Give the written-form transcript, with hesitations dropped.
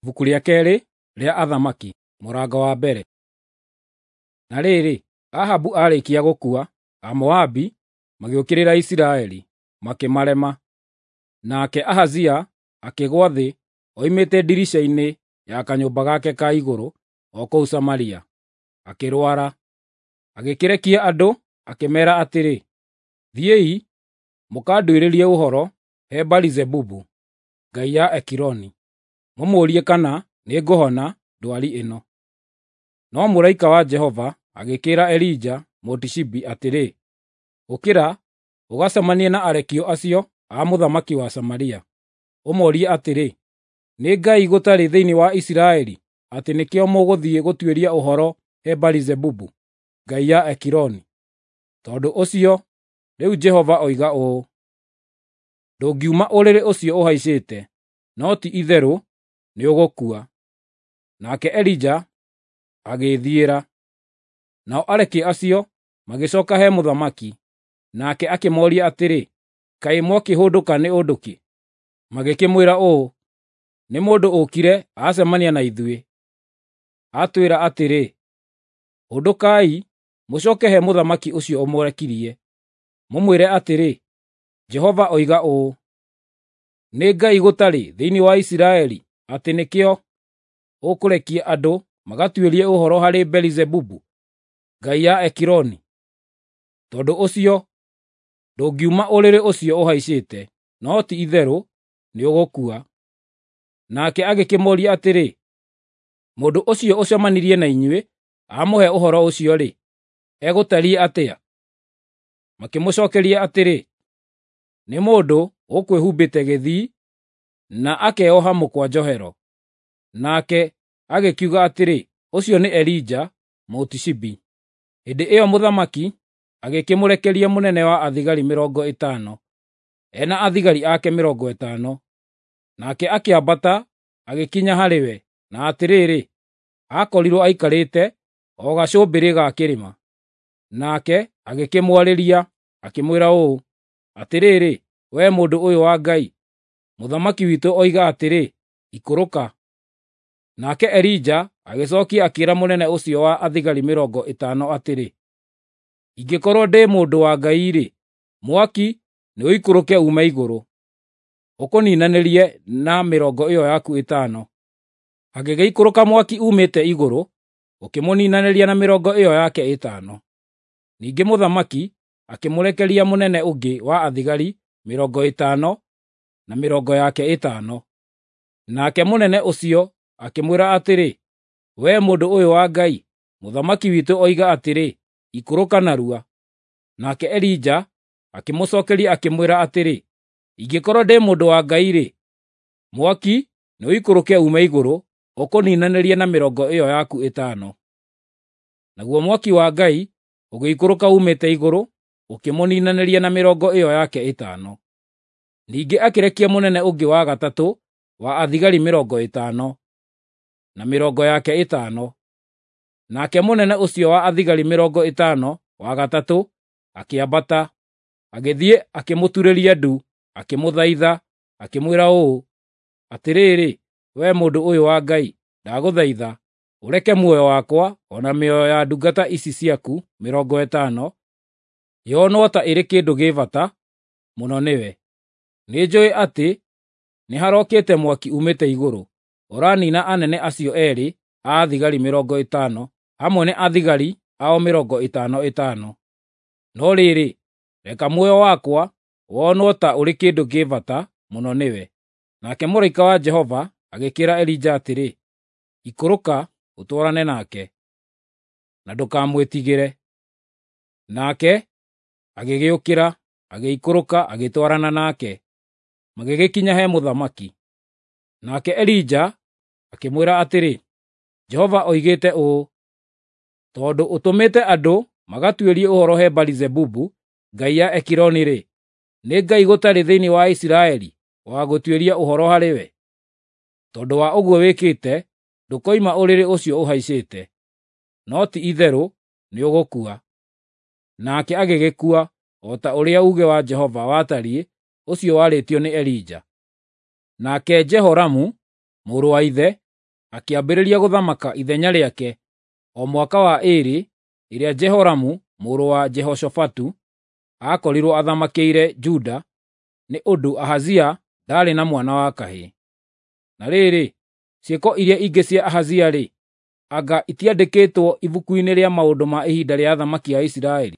Ibuku rĩa keerĩ rĩa Athamaki mũrango wa mbere. Na rĩrĩ, Ahabu aarĩkia gũkua, Amoabi magĩũkĩrĩra Isiraeli, makĩmarema. Nake Ahazia akĩgũa thĩ oimĩte ndirica-inĩ ya kanyũmba gake ka igũrũ o kũu Samaria, akĩrwara. Agĩkĩrekia andũ akĩmeera atĩrĩ, “Thiĩi mũkanduĩrĩrie ũhoro he Baali-Zebubu, ngai ya Ekironi, mũmũũrie kana nĩngũhona ndwari ĩno.” No mũraika wa Jehova agĩkĩĩra Elija Mũtishibi atĩrĩ, “Ũkĩra ũgacemanie na arekio acio a mũthamaki wa Samaria, ũmoorie atĩrĩ, ‘Nĩ Ngai gũtarĩ thĩinĩ wa Isiraeli atĩ nĩkĩo mũgũthiĩ gũtuĩria ũhoro he Baali-Zebubu, ngai ya Ekironi?’ Tondũ ũcio rĩu Jehova oiga ũũ: Ndũngiuma ũrĩrĩ ũcio ũhaicĩte, no ti-itherũ nĩũgũkua.” Nake Elija agĩĩthiĩra. Nao arekia acio magĩcooka he mũthamaki, nake akĩmooria atĩrĩ, “Kaĩ mwakĩhũndũka nĩ ũndũ kĩ?” Magĩkĩmwĩra ũũ, “Nĩ mũndũ ũũkire aacemania na ithuĩ, atwĩra atĩrĩ, ‘Hũndũkai mũcooke he mũthamaki ũcio ũmũrekirie, mũmwĩre atĩrĩ, Jehova oiga ũũ: Nĩ Ngai gũtarĩ thĩinĩ wa Isiraeli atĩ nĩkĩo ũkũrekia andũ magatuĩrie ũhoro harĩ Beelizebubu, ngai ya Ekironi? Tondũ ũcio ndũngiuma ũrĩrĩ ũcio ũhaicĩte, no ti-itherũ nĩũgũkua.” Nake agĩkĩmũũria atĩrĩ, “Mũndũ ũcio ũcemanirie na inyuĩ amũhe ũhoro ũcio-rĩ, egũtariĩ atĩa?” Makĩmũcookeria atĩrĩ, “Nĩ mũndũ ũkwĩhumbĩte gĩthii na akeoha mũkwa njohero.” Nake agĩkiuga atĩrĩ, “Ũcio nĩ Elija Mũtishibi.” Hĩndĩ ĩyo mũthamaki agĩkĩmũrekeria mũnene wa athigari 50, e na athigari ake 50. Nake akĩambata agĩkinya harĩ we, na atĩrĩrĩ, aakorirwo aikarĩte o gacũmbĩrĩ ga kĩrĩma. Nake agĩkĩmwarĩria, akĩmwĩra ũũ, “Atĩrĩrĩ, wee mũndũ ũyũ wa Ngai, mũthamaki witũ oiga atĩrĩ, ‘Ikũrũka.’ ” Nake Elija agĩcookia akĩĩra mũnene ũcio wa athigari 50 atĩrĩ, “Ingĩkorwo ndĩ mũndũ wa Ngai-rĩ, mwaki nĩũikũrũke uume igũrũ, ũkũniinanĩrie na mĩrongo ĩyo yaku 50. Hagĩgĩikũrũka mwaki uumĩte igũrũ, ũkĩmũniinanĩria na mĩrongo ĩyo yake 50. Ningĩ mũthamaki akĩmũrekeria mũnene ũngĩ wa athigari 50 na mĩrongo yake 50. Nake mũnene ũcio akĩmwĩra atĩrĩ, “Wee mũndũ ũyũ wa Ngai, mũthamaki witũ oiga atĩrĩ, ‘Ikũrũka narua.’ ” Nake Elija akĩmũcookeria akĩmwĩra atĩrĩ, “Ingĩkorwo ndĩ mũndũ wa Ngai-rĩ, mwaki nĩũikũrũke uume igũrũ ũkũniinanĩrie na mĩrongo ĩyo yaku 50. Naguo mwaki wa Ngai ũgĩikũrũka uumĩte igũrũ, ũkĩmũniinanĩria na mĩrongo ĩyo yake 50. Ningĩ akĩrekia mũnene ũngĩ wa gatatũ wa athigari 50 na mĩrongo yake 50. Nake mũnene ũcio wa athigari 50 wa gatatũ akĩambata, agĩthiĩ akĩmũturĩria ndu, akĩmũthaitha, akĩmwĩra ũũ, “Atĩrĩrĩ, wee mũndũ ũyũ wa Ngai, ndagũthaitha ũreke muoyo wakwa o na mĩoyo ya ndungata ici ciaku 50 yonwo ta ĩrĩ kĩndũ gĩ bata mũno nĩwe. Nĩnjũũĩ atĩ nĩharokĩte mwaki uumĩte igũrũ, ũraniina anene acio eerĩ a athigari 50 hamwe na athigari ao 50 50. No rĩrĩ, reka muoyo wakwa wonwo ta ũrĩ kĩndũ kĩ bata mũno nĩwe.” Nake mũraika wa Jehova agĩkĩĩra Elija atĩrĩ, “Ikũrũka ũtwarane nake, na ndũkamwĩtigĩre.” Nake agĩgĩũkĩra, agĩikũrũka agĩtwarana nake, magĩgĩkinya he mũthamaki. Nake Elija akĩmwĩra atĩrĩ, “Jehova oigĩte ũũ: Tondũ ũtũmĩte andũ magatuĩrie ũhoro he Baali-Zebubu, ngai ya Ekironi-rĩ, nĩ Ngai gũtarĩ thĩinĩ wa Isiraeli wa gũtuĩria ũhoro harĩ we? Tondũ wa ũguo wĩkĩte, ndũkoima ũrĩrĩ ũcio ũhaicĩte, no ti-itherũ nĩũgũkua.” Nake agĩgĩkua, o ta ũrĩa uuge wa Jehova watariĩ ũcio warĩtio nĩ Elija. Nake Jehoramu mũrũ wa ithe akĩambĩrĩria gũthamaka ithenya rĩake o mwaka wa 2 ĩrĩa Jehoramu mũrũ wa Jehoshafatu aakorirwo athamakĩire Juda, nĩ ũndũ Ahazia ndaarĩ na mwana wa kahĩĩ. Na rĩrĩ, ciĩko iria ingĩ cia Ahazia-rĩ, anga itiandĩkĩtwo ibuku-inĩ rĩa maũndũ ma ihinda rĩa athamaki a Isiraeli?